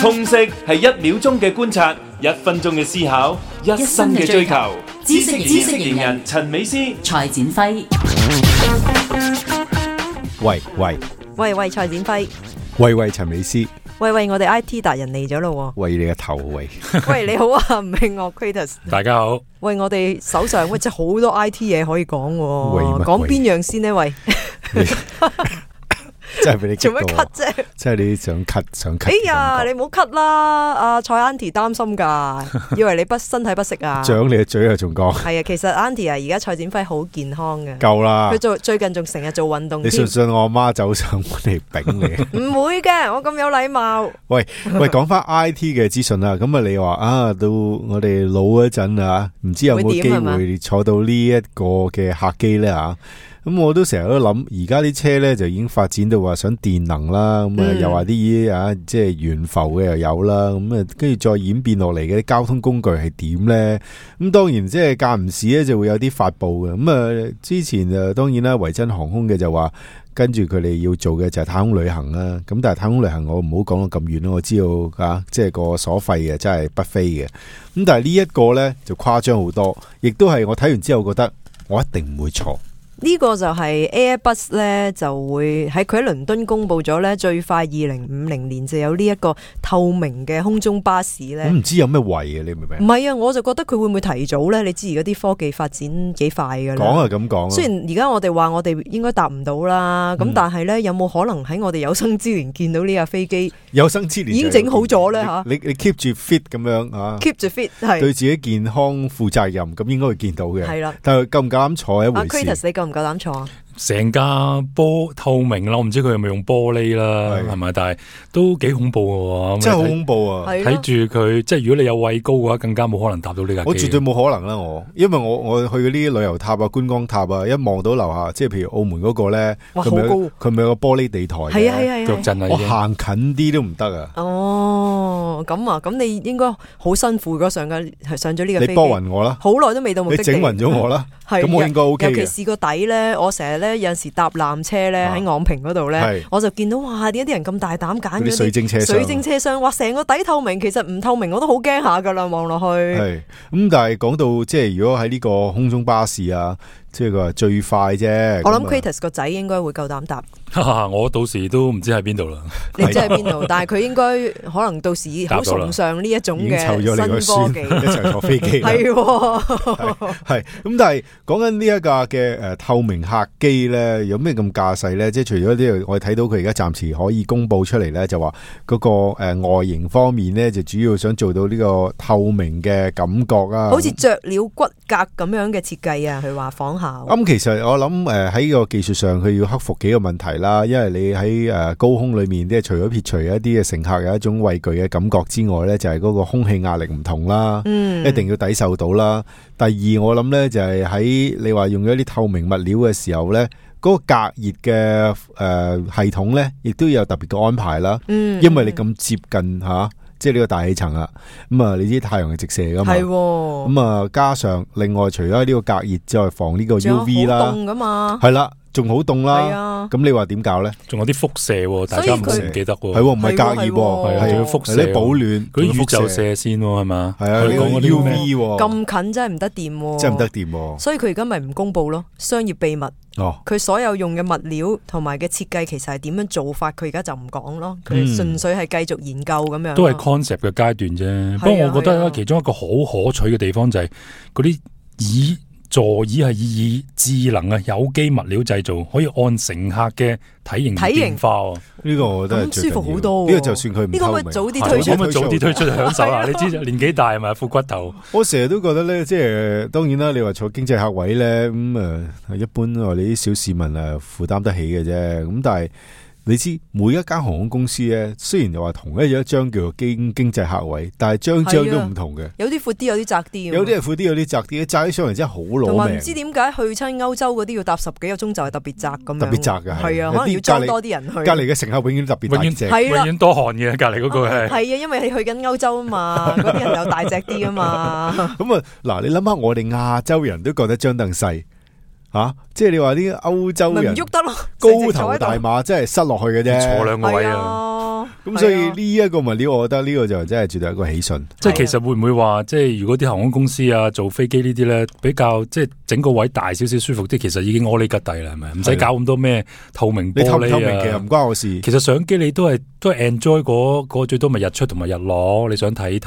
通識係1秒鐘嘅觀察，1分鐘嘅思考，1生嘅追求。知識型人陳美詩、蔡展輝。喂，蔡展輝。喂，陳美詩。喂，我哋 IT 達人嚟咗咯。喂，你嘅頭喂。喂，你好啊，唔係我 Kratos。大家好。喂，我哋手上真係好多 IT 嘢可以講喎。講邊樣先呢？喂。真係俾你做咩咳啫？即係你想咳。哎呀，你唔好咳啦！阿蔡 Auntie 擔心噶，以為你身體不適啊。掌你嘅嘴啊，仲講。係啊，其實 Auntie 啊，而家蔡展輝好健康嘅。夠啦！佢最近仲成日做運動。你信唔信我阿媽走上嚟丙你？唔會嘅，我咁有禮貌。喂，講翻 IT 嘅資訊啦。咁啊，你話啊，到我哋老嗰陣啊，唔知有冇機會坐到呢一個嘅客機咧啊？咁我都成日都諗，而家啲車咧就已經發展到話想電能啦，咁啊又話啲啊即係懸浮嘅又有啦，咁啊跟住再演變落嚟嘅啲交通工具係點咧？咁當然即係間唔時咧就會有啲發布嘅，咁啊之前啊當然啦，維珍航空嘅就話跟住佢哋要做嘅就係太空旅行啦，咁但係太空旅行我唔好講到咁遠咯，我知道啊即係個所費嘅真係不菲嘅，咁但係呢一個咧就誇張好多，亦都係我睇完之後覺得我一定唔會錯。呢個就係 Airbus 咧，就會喺佢喺倫敦公布咗咧，最快2050年就有呢一個透明嘅空中巴士咧。唔知有咩位啊？你明唔明？唔係啊，我就覺得佢會唔會提早咧？你知而家啲科技發展幾快㗎啦。講係咁講。雖然而家我哋話我哋應該搭唔到啦，咁但係咧有冇可能喺我哋有生之年見到呢架飛機？有生之年已經整好咗咧嚇。你 keep 住 fit 咁樣啊 ？keep 住 fit 係對自己健康負責任，咁應該會見到嘅。係啦，但係夠唔夠膽坐一回事。唔夠膽坐啊！成架透明啦，我唔知佢有冇用玻璃啦，係咪？但係都幾恐怖嘅，真係好恐怖啊！睇住佢，即係如果你有畏高嘅話，更加冇可能搭到呢架機。我絕對冇可能啦，因為我去嗰啲旅遊塔啊、觀光塔啊，一望到樓下，即係譬如澳門嗰個咧，佢咪有個玻璃地台嘅，係腳震啊！我行近啲都唔得啊！哦，咁你應該好辛苦嗰上咗呢個飛機。你波暈我啦，好耐都未到目的地。你整暈咗我啦，咁我應該 OK 嘅。尤其是個底咧，我成日咧有陣時搭纜車咧喺昂坪嗰度咧，我就見到哇，點解啲人咁大膽揀嗰啲水晶車廂？哇，成個底透明，其實唔透明我都好驚下噶啦，望落去。係咁，但係講到即係如果喺呢個空中巴士啊，即係佢話最快啫。我諗 Kratos 個仔應該會夠膽搭。我到時都唔知喺邊度啦。你知喺邊度？但係佢應該可能到時好崇尚呢一種嘅新科技，一齊坐飛機。係咁，但係講緊呢一架嘅透明客機咧，有咩咁駕駛咧？即係除咗呢個，我哋睇到佢而家暫時可以公布出嚟咧，就話嗰個外形方面咧，就主要想做到呢個透明嘅感覺啊，好似雀鳥骨骼咁樣嘅設計啊。佢話仿效。咁其實我諗喺個技術上，佢要克服幾個問題啦。因為你喺高空裏面，即係除咗撇除一啲嘅乘客有一種畏懼嘅感覺之外咧，就係嗰個空氣壓力唔同啦，一定要抵受到啦。第二，我諗咧就係喺你話用咗啲透明物料嘅時候咧，嗰個隔熱嘅系統咧，亦都有特別嘅安排啦。因為你咁接近吓，即係呢個大氣層啦，咁啊，你知太陽係直射噶嘛，咁啊，加上另外除咗呢個隔熱之外，防呢個 UV 啦，凍噶嘛，係啦。仲好凍啦，咁你話點搞咧？仲有啲輻射，大家唔記得喎。係唔係隔熱？係仲要輻射，啲保暖，嗰啲宇宙射線係嘛？係啊，你講嗰啲 UV 咁近真係唔得掂，真係唔得掂。所以佢而家咪唔公布咯，商業秘密。佢所有用嘅物料同埋嘅設計，其實係點樣做法，佢而家就唔講咯。佢純粹係繼續研究咁樣。都係 concept 嘅階段啫。不過我覺得其中一個好可取嘅地方就係嗰啲座椅係以智能嘅有機物料製造，可以按乘客嘅體型變化。呢個我覺得舒服好多。呢個就算佢唔透明，呢個可唔可以早啲推出？可唔可以早啲推出享受啊？你知年紀大係咪副骨頭？我成日都覺得咧，即係當然啦。你話坐經濟客位咧，咁一般我哋啲小市民負擔得起嘅啫。咁但係。你知每一間航空公司咧，雖然又話同一張叫做經濟客位，但係張都唔同嘅。有啲闊啲，有啲窄啲。有啲係闊啲，有啲窄啲。窄起上嚟真係好攞命。同埋唔知點解去親歐洲嗰啲要搭10幾個鐘就係特別窄咁樣。特別窄嘅係啊，可能要裝多啲人去。隔離嘅乘客永遠特別大隻，永遠多汗嘅。隔離嗰個係。係啊，因為你去緊歐洲啊嘛，嗰啲人又大隻啲啊嘛。咁嗱，你諗下，我哋亞洲人都覺得張凳細。吓，即係你話啲歐洲人唔喐得咯，高頭大馬真係塞落去嘅啫，坐兩個位啊。咁所以呢一個物料，我覺得呢個就真係絕對係一個喜訊。即係其實會唔會話，即係如果啲航空公司啊做飛機呢啲咧，比較即係整個位大少少舒服啲，其實已經阿哩吉底啦，係咪？唔使搞咁多咩透明玻璃啊。你透唔透明其實唔關我事。其實相機你都係 enjoy 嗰最多咪日出同埋日落，你想睇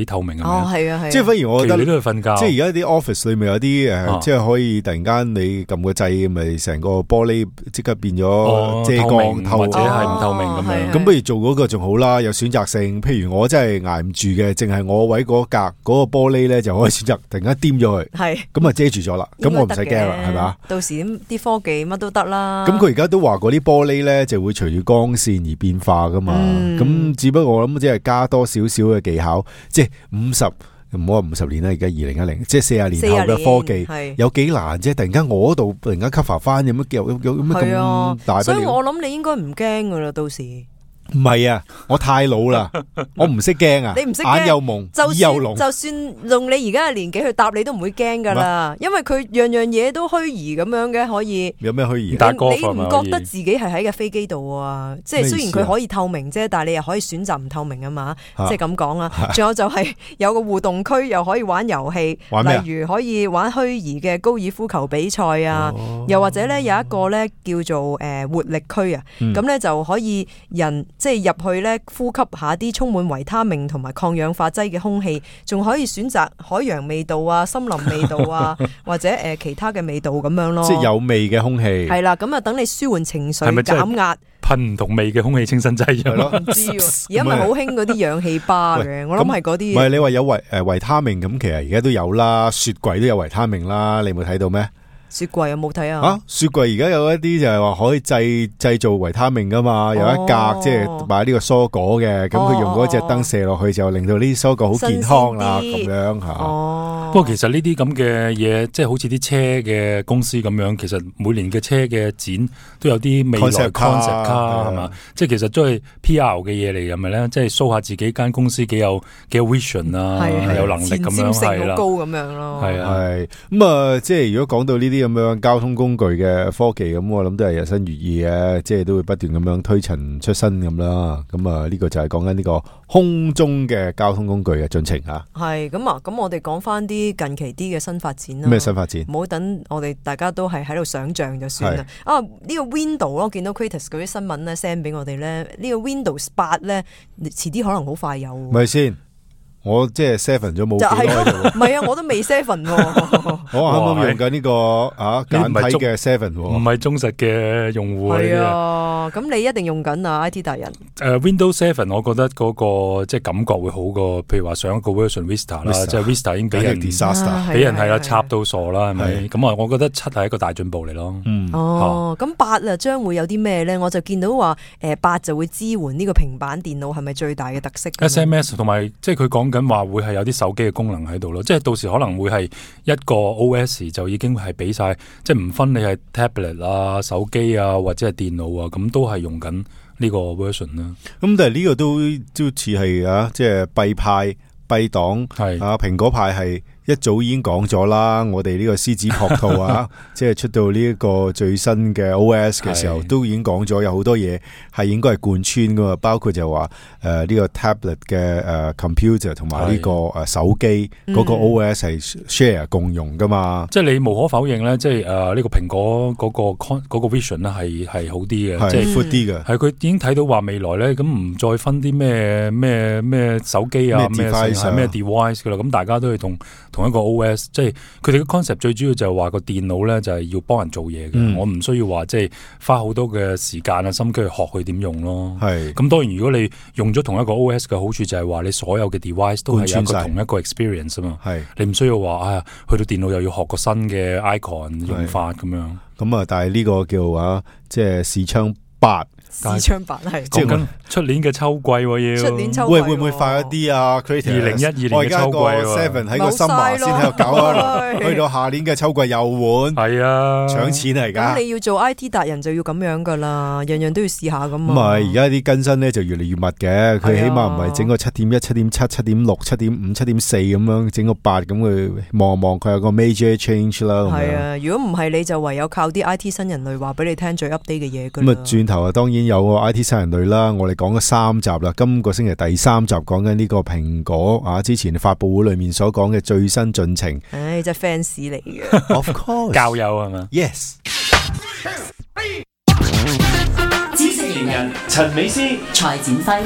透明係咪？係啊係。即係反而我覺得你都係瞓覺。即係而家啲 office 裏面有啲即係可以突然間你撳個掣，咪成個玻璃即刻變咗遮光透，或者係唔透明咁樣。咁不如做嗰個仲好啦，有選擇性。譬如我真係捱唔住嘅，淨係我位嗰格嗰個玻璃咧，就可以選擇突然間掂咗佢，係咁啊遮住咗啦。咁我唔使驚啦，係咪？到時啲科技乜都得啦。咁佢而家都話嗰啲玻璃咧就會隨住光線而變化噶嘛。咁只不過我諗即係加多少少嘅技巧，即係50。唔好話50年啦，而家2010，即係40年後嘅科技，有幾難啫？突然間我嗰度突然間 cover 翻，有乜咁大？所以我諗你應該唔驚噶啦，到時。唔係啊，我太老啦，我唔識驚啊，你唔識眼又蒙，耳又聾，就算用你而家嘅年紀去答你都唔會驚噶啦，因為佢樣樣嘢都虛擬咁樣嘅，可以。有咩虛擬？你唔覺得自己係喺架飛機度啊？即係雖然佢可以透明啫，但係你又可以選擇唔透明啊嘛，即係咁講啊。仲有就係有個互動區，又可以玩遊戲，例如可以玩虛擬嘅高爾夫球比賽啊，又或者咧有一個咧叫做活力區啊，咁咧就可以即係入去咧，呼吸下啲充滿維他命同埋抗氧化劑嘅空氣，仲可以選擇海洋味道啊、森林味道啊，或者其他嘅味道咁樣咯。即係有味嘅空氣。係啦，咁啊等你舒緩情緒、減壓。噴唔同味嘅空氣清新劑係咯？唔知喎，而家咪好興嗰啲氧氣巴嘅，我諗係嗰啲。唔係你話有維他命咁，其實而家都有啦，雪櫃都有維他命啦，你有冇睇到咩？雪櫃有冇睇啊？雪櫃而家有一啲就係話可以製造維他命噶嘛，有一格即係買呢個蔬果嘅，咁佢用嗰隻燈射落去就令到呢啲蔬果好健康啦，咁樣吓。不過其實呢啲咁嘅嘢，即係好似啲車嘅公司咁樣，其實每年嘅車嘅展都有啲未來 concept 卡係嘛，即係其實都係 PR 嘅嘢嚟，係咪咧？即係 show 下自己間公司幾有 vision 啊，有能力咁樣係啦，高咁樣咯。係咁啊，即係如果講到呢啲咁樣交通工具嘅科技，咁我諗都係日新月異嘅，即係都會不斷咁樣推陳出新咁啦。咁啊，呢個就係講緊呢個空中嘅交通工具嘅進程吓。係咁啊，咁我哋講翻啲近期啲嘅新發展啦。咩新發展？唔好等我哋大家都係喺度想象就算啦。啊，呢個 Windows 我見到 Kratos 嗰啲新聞咧 send 俾我哋咧，呢個 Windows 8咧，遲啲可能好快有。咪先？我即係 7咗冇幾耐啫，唔係啊，我都未 7。我啱啱用緊呢個簡體嘅7，唔係忠實嘅用戶嚟嘅。係啊，咁你一定用緊啊 IT 達人。Windows 7，我覺得嗰個即係感覺會好過，譬如話上一個 version Vista 啦，即係 Vista 已經俾人 disaster， 俾人係啦插到傻啦，係咪？咁啊，我覺得7係一個大進步嚟咯。咁8啊，將會有啲咩咧？我就見到話8就會支援呢個平板電腦，係咪最大嘅特色 ？SMS 同埋即係佢講緊話會係有啲手機嘅功能喺度咯，即係到時可能會係一個 OS 就已經係俾晒，即係唔分你係 tablet 啊、手機啊或者係電腦啊，咁都係用緊呢個 version 啦。咁但係呢個都似係即係弊派弊黨係蘋果派係。一早已經講咗啦，我哋呢個獅子撲兔即係出到呢一個最新嘅 OS 嘅時候，都已經講咗有好多嘢係應該係貫穿噶嘛，包括就話呢個 tablet 嘅computer 同埋呢個手機嗰個 OS 係 share 共用噶嘛。即係你無可否認咧，即係呢個蘋果嗰個 vision 咧係好啲嘅，即係闊啲嘅。係佢已經睇到話未來咧，咁唔再分啲咩手機啊咩 device 噶啦，咁大家都係同一個 OS， 即係佢哋嘅 concept 最主要就係話個電腦咧就係要幫人做嘢嘅，我唔需要話即係花好多嘅時間啊心機去學佢點用咯。係咁當然如果你用咗同一個 OS 嘅好處就係話你所有嘅 device 都係有一個同一個 experience 啊嘛。係你唔需要話去到電腦又要學個新嘅 icon 用法咁樣。咁但係呢個叫即係視窗8視窗版係講緊出年嘅秋季要。出年秋季會唔會快一啲啊 ？2012年嘅秋季，7喺個summer先喺度搞啊，去到下年嘅秋季又換。係啊，搶錢嚟噶。咁你要做 IT 達人就要咁樣噶啦，樣樣都要試下咁啊。唔係，而家啲更新咧就越嚟越密嘅，佢起碼唔係整個7.1、7.7、7.6、7.5、7.4咁樣，整個8咁佢望望佢有個 major change 啦。係啊，如果唔係你就唯有靠啲 IT 新人類話俾你聽最 update 嘅嘢噶啦。咁啊，轉頭啊，當然有個 IT 新人類啦。我哋講咗3集啦，今個星期第3集講緊呢個蘋果啊，之前發佈會裏面所講嘅最新進程。唉，真係 fans 嚟嘅。Of course， 教友係嘛 ？Yes。知識型人陳美斯、蔡展輝。